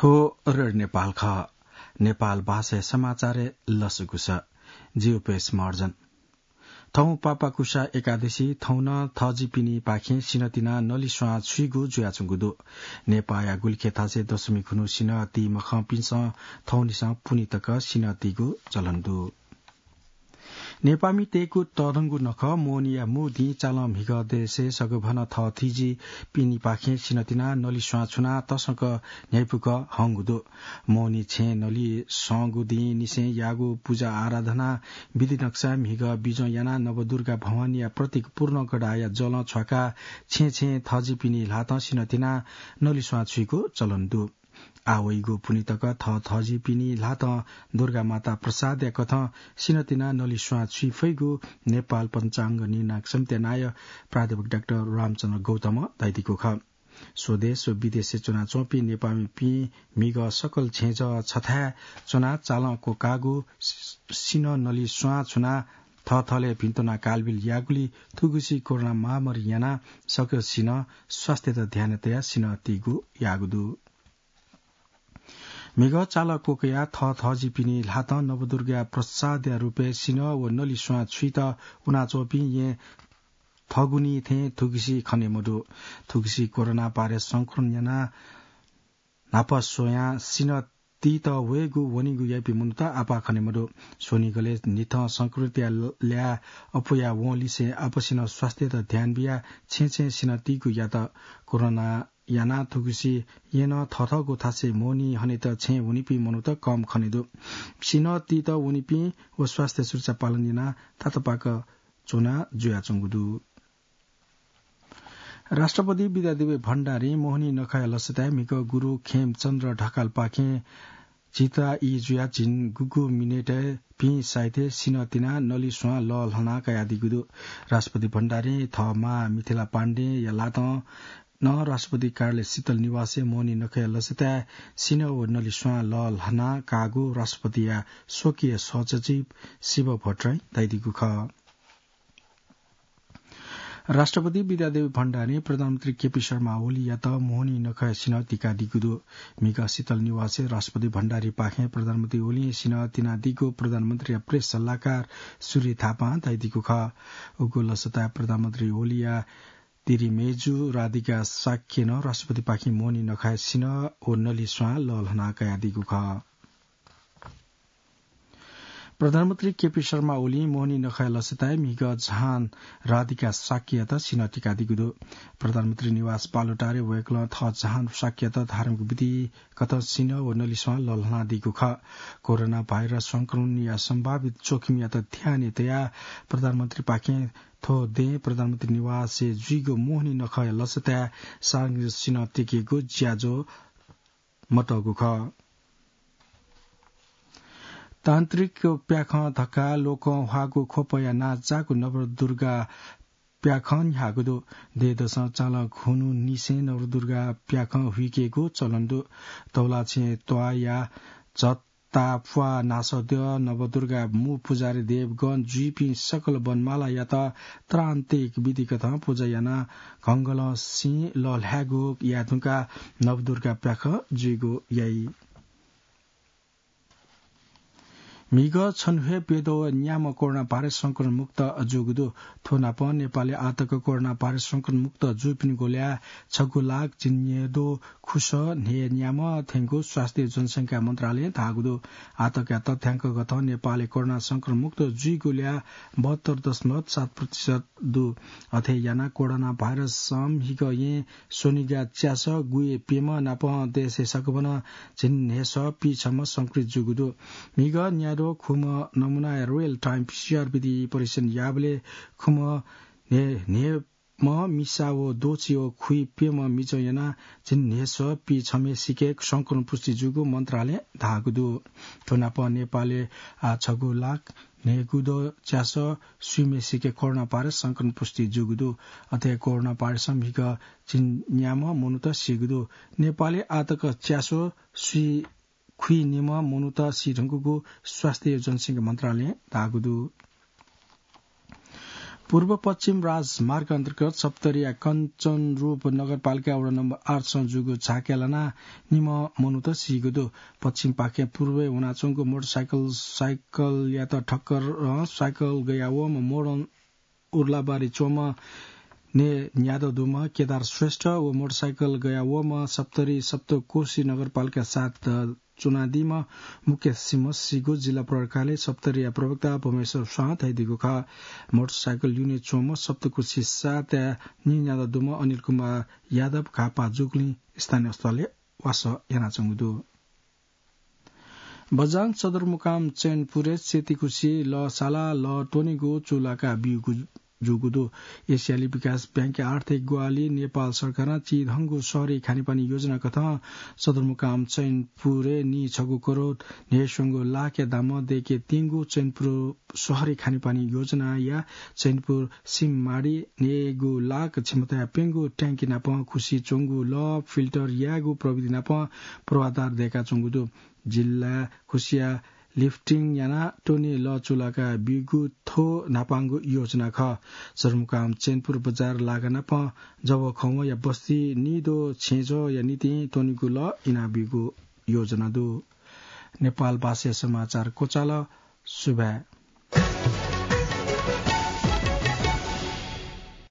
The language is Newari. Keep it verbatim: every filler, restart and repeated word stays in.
थ्व रेडियो नेपाल खः। नेपाल भाषाया समाचारय् लसकुस। जि उपेश महर्जन। थौं पापाकुसा एकादशी, थौं नं थजिपिनिपाखें सिनतिनाः नलिस्वां छुइगु जुयाच्वंगु दु। नेपाःया गुलिखे थासय् दशमी खुन्हु सिनः ती मखंपिन्सं थौंनिसें पुन्हि तक सिनः तीगु चलन दु। नेपाःमितय्गु तःधंगु नखः मोहनीया मू दिं चालं म्हिगः देशय् सगभनं थःथिजिपिनिपाखें सिनतिनाः नलिस्वां छुनाः तसकं न्ह्याइपुक हंगु दु। मोहनी छेँय् नलिस्वांगु दिं निसें याःगु पुजा आराधना विधि नक्साय् म्हिगः बिजं यानाः नवदुर्गा भवानीया प्रतीक पूर्ण गढाया जलं छ्वाकाः छेँय् छेँय् थजिपिनि ल्हातं सिनतिनाः नलिस्वां छुइगु चलन दु। आः वइगु पुन्हि तक थःथजिपिनि ल्हातं दुर्गा माता प्रसादया कथं सिनतिनाः नलिस्वां छुइ फइगु नेपाल पञ्चाङ्ग निर्णायक समितिया नायः प्राध्यापक डाक्टर रामचन्द्र गौतमं धयादीगु खः। स्वदेश व विदेशय् च्वनाच्वंपिं नेपाःमिपिं म्हिगः सकल छेँजः छथाय् च्वनाः चालं क्वकाःगु सि-, सिनः नलिस्वां छुनाः थःथलय् भिंतुना कालबिल याःगुलिं थुगुसी कोरोना महामारी यानाः सकल सिनः स्वास्थ्ययात ध्यान तयाः सिनः तीगु याःगु दु। म्हिगः चालं क्वकयाः थःथजिपिनि ल्हातं नवदुर्गा प्रसादया रूपय् सिनः व नलिस्वां छुइत वनाच्वंपिं येँ थगुनि थें थुगुसी खने मदु। थुगुसी कोरोना भाइरस संक्रमण यानाः न्हापा स्वयां सिनः तीत वयेगु वनेगु याइपिं मनूत आपाः खने मदु। स्वनिगलय् न्हिथं संक्रमितया ल्याः अप्वया वंलिसें आपसिनं स्वास्थ्ययात ध्यान बियाः छेँय् छेँय् सिनः तीगु यात। कोरोना यानाः थुगुसी येँ नं थःथःगु थासय् मोहनी हनेत छेँय् वनीपिं मनूत कम खने दु। सिनः तीत वनीपिं व स्वास्थ्य सुरक्षा पालन यानाः तातपाक च्वना जुयाच्वंगु दु। राष्ट्रपति विद्यादेवी भण्डारीं मोहनी नखःया लसताय् म्हिगः गुरु खेमचन्द्र ढकालपाखें झीत ई जुयाः झिंगुगु मिनेटय् भिं साइथय् सिनः तिनाः नलिस्वां लःल्हानाः कयादीगु दु। राष्ट्रपति भण्डारीं थः मां मिथिला पाण्डेया ल्हातं नं राष्ट्रपति कार्यालय शीतल निवासय् मोहनी नखःया लसताय् सिनः व नलिस्वां लःल्हानाः काःगु राष्ट्रपतिया स्वकीय सहसचिव शिव भट्टराईं धयादीगु खः। राष्ट्रपति विद्यादेवी भण्डारीं प्रधानमन्त्री केपी शर्मा ओलीयात मोहनी नखःया सिनः तिकादीगु दु। म्हिगः शीतल निवासय् राष्ट्रपति भण्डारीपाखें प्रधानमन्त्री ओलीं सिनः तिनादीगु प्रधानमन्त्रीया प्रेस सल्लाहकार सूर्य थापां धयादीगु खः। उगु लसताय् प्रधानमन्त्री ओलीया तिरिमेजु राधिका शाक्यं नं राष्ट्रपतिपाखें मोहनी नखःया सिनः व नलिस्वां लःल्हानाः कयादीगु खः। प्रधानमन्त्री केपी शर्मा ओलीं मोहनी नखःया लसताय् म्हिगः जहान राधिका शाक्ययात सिनः तिकादीगु दु। प्रधानमन्त्री निवास बालुटारय् वय्कलं थः जहान शाक्ययात धार्मिक विधि कथं सिनः व नलिस्वां लःल्हानादीगु खः। कोरोना भाइरस संक्रमणया सम्भावित जोखिमयात ध्यानय् तयाः प्रधानमन्त्रीपाखें थ्व दँय् प्रधानमन्त्री निवासय् जुइगु मोहनी नखःया लसताय् सार्वजनिक सिनः तिकेगु ज्याझ्वः मतःगु खः। तान्त्रिक प्याखं धकाः लोकं ह्वाःगु ख्वपया नांजाःगु नवदुर्गा प्याखं न्ह्याःगु दु। देय्दसं चालं खुन्हु निसें नवदुर्गा प्याखं हुइकेगु चलन दु। तौलाछेँ त्वाःया झत्ताप्वाः नासद्यः नवदुर्गा मू पुजारी देवगण जुइपिं सकल वनमालायात त्रान्तिक विधिकथं पुजा यानाः घंघलं सिं लःल्हायेगु याये धुंकाः नवदुर्गा प्याखं जुइगु याइ। म्हिगः छन्हु हे प्यद्वः न्याम्ह कोरोना भाइरस संक्रमण मुक्त जूगु दु। थ्व नापं नेपालय् आःतक कोरोना भाइरस संक्रमण मुक्त जूपिनिगु ल्याः छगू लाख झिंन्हय्दँ खुसः न्हय्न्याम्ह थ्यंगु स्वास्थ्य जनसंख्या मन्त्रालयं धाःगु दु। आःतकया तथ्याङ्क कथं नेपालय् कोरोना संक्रमण मुक्त जुइगु ल्याः बहत्तर दशमलव सात प्रतिशत दु। अथे यानाः कोरोना भाइरसं म्हिगः येँ स्वनिगः च्यासः गुइप्यम्ह नापं देशय् सकभनं झिंन्हय्सः पिछम्ह संक्रमित जूगु दु। म्हिगः न्याद्वः खुम्ह नमुनाया रियल टाइम पिसिआर विधि परीक्षण याःबलय् खुम्ह न्हय्, न्हय्म्ह मिसा व द्वःछि व खुइप्यम्ह मिजं यानाः झिंन्हय्सः पिछम्हय्सिके संक्रमण पुष्टि जूगु मन्त्रालयं धाःगु दु। थ्व नापं नेपालय् आः छगू लाख न्हय्गू दँ च्यासः स्वीम्हय्सिके कोरोना भाइरस संक्रमण पुष्टि जूगु दु। अथे कोरोना भाइरसं म्हिगः झिंन्याम्ह मनूत सीगु दु। नेपालय् आःतक च्यासः स्वी खुइनिम्ह मनूत सी धुंकूगु स्वास्थ्य जनसंख्या मन्त्रालयं धाःगु दु। पूर्व पश्चिम राजमार्ग अन्तर्गत सप्तरीया कञ्चनरूप नगरपालिका वडा नम्बर आठसं जूगु झाँक्रीया लानाः निम्ह मनूत सीगु दु। पश्चिमपाखें पूर्वय् वनाच्वंगु मोटरसाइकल, साइकलयात ठक्कर, अ, साइकल गया वःम्ह मोडं उर्लाबारी च्वंम्ह ने न्यादँ दुम्ह केदार श्रेष्ठ व मोटरसाइकल गया वःम्ह सप्तरी सप्तकोशी नगरपालिका सात च्वनादीम्ह मुकेश सिंह सीगु जिल्ला प्रहरी कार्यालय सप्तरीया प्रवक्ता भुवनेश्वर स्वां धयादीगु खः। मोटरसाइकल ल्यूने च्वंम्ह सप्तकोशी सातया ने न्यादँ दुम्ह अनिल कुमार यादव घाःपाः जूगुलिं स्थानीय अस्पतालय् वासः यानाच्वंगु दु। बझाङ सदरमुकाम चैनपुरय् सेतीखुसी लः सालाः लः त्वनेगु चूलाका ब्यूगु जूगु दु। एसियाली विकास बैंकया आर्थिक ग्वाहालि नेपाल सरकारं चिधंगु शहरी खानेपानी योजना कथं सदरमुकाम चैनपुरय् नीछगू करोड न्हय्स्वंगू लाखया दामं दय्केत्यंगु चैनपुर शहरी खानेपानी योजनाया चैनपुर सिममाडी न्हय्गू लाख क्षमताया प्यंगू ट्यांकी नापं खुसी च्वंगु लः फिल्टर यायेगु प्रविधि नापं पूर्वाधार दय्काच्वंगु दु। जिल्लाय् खुसिया लिफ्टिङ यानाः त्वने लः चूलाका ब्यूगु थ्व न्हापांगु योजना खः। सदरमुकाम चैनपुर बजार लागा नापं जवःखवंया बस्ती निदँ छेँजःया निंतिं त्वनेगु लः इनाब्यूगु योजना दु। नेपाल भाषाया समाचार क्वचाल। सुभाय्।